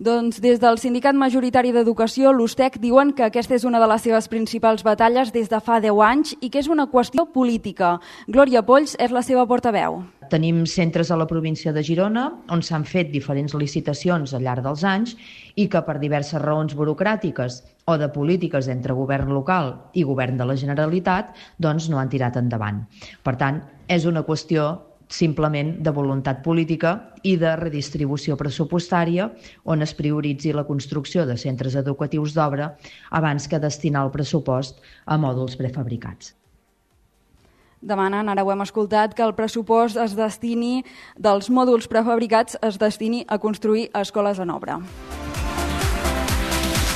Doncs des del Sindicat Majoritari d'Educació, l'USTEC, diuen que aquesta és una de les seves principals batalles des de fa 10 anys i que és una qüestió política. Glòria Polls és la seva portaveu. Tenim centres a la província de Girona on s'han fet diferents licitacions al llarg dels anys i que per diverses raons burocràtiques o de polítiques entre govern local i govern de la Generalitat doncs no han tirat endavant. Per tant, és una qüestió simplement de voluntat política i de redistribució pressupostària on es prioritzi la construcció de centres educatius d'obra abans que destinar el pressupost a mòduls prefabricats. Demanen, ara ho hem escoltat, que el pressupost dels mòduls prefabricats es destini a construir escoles en obra.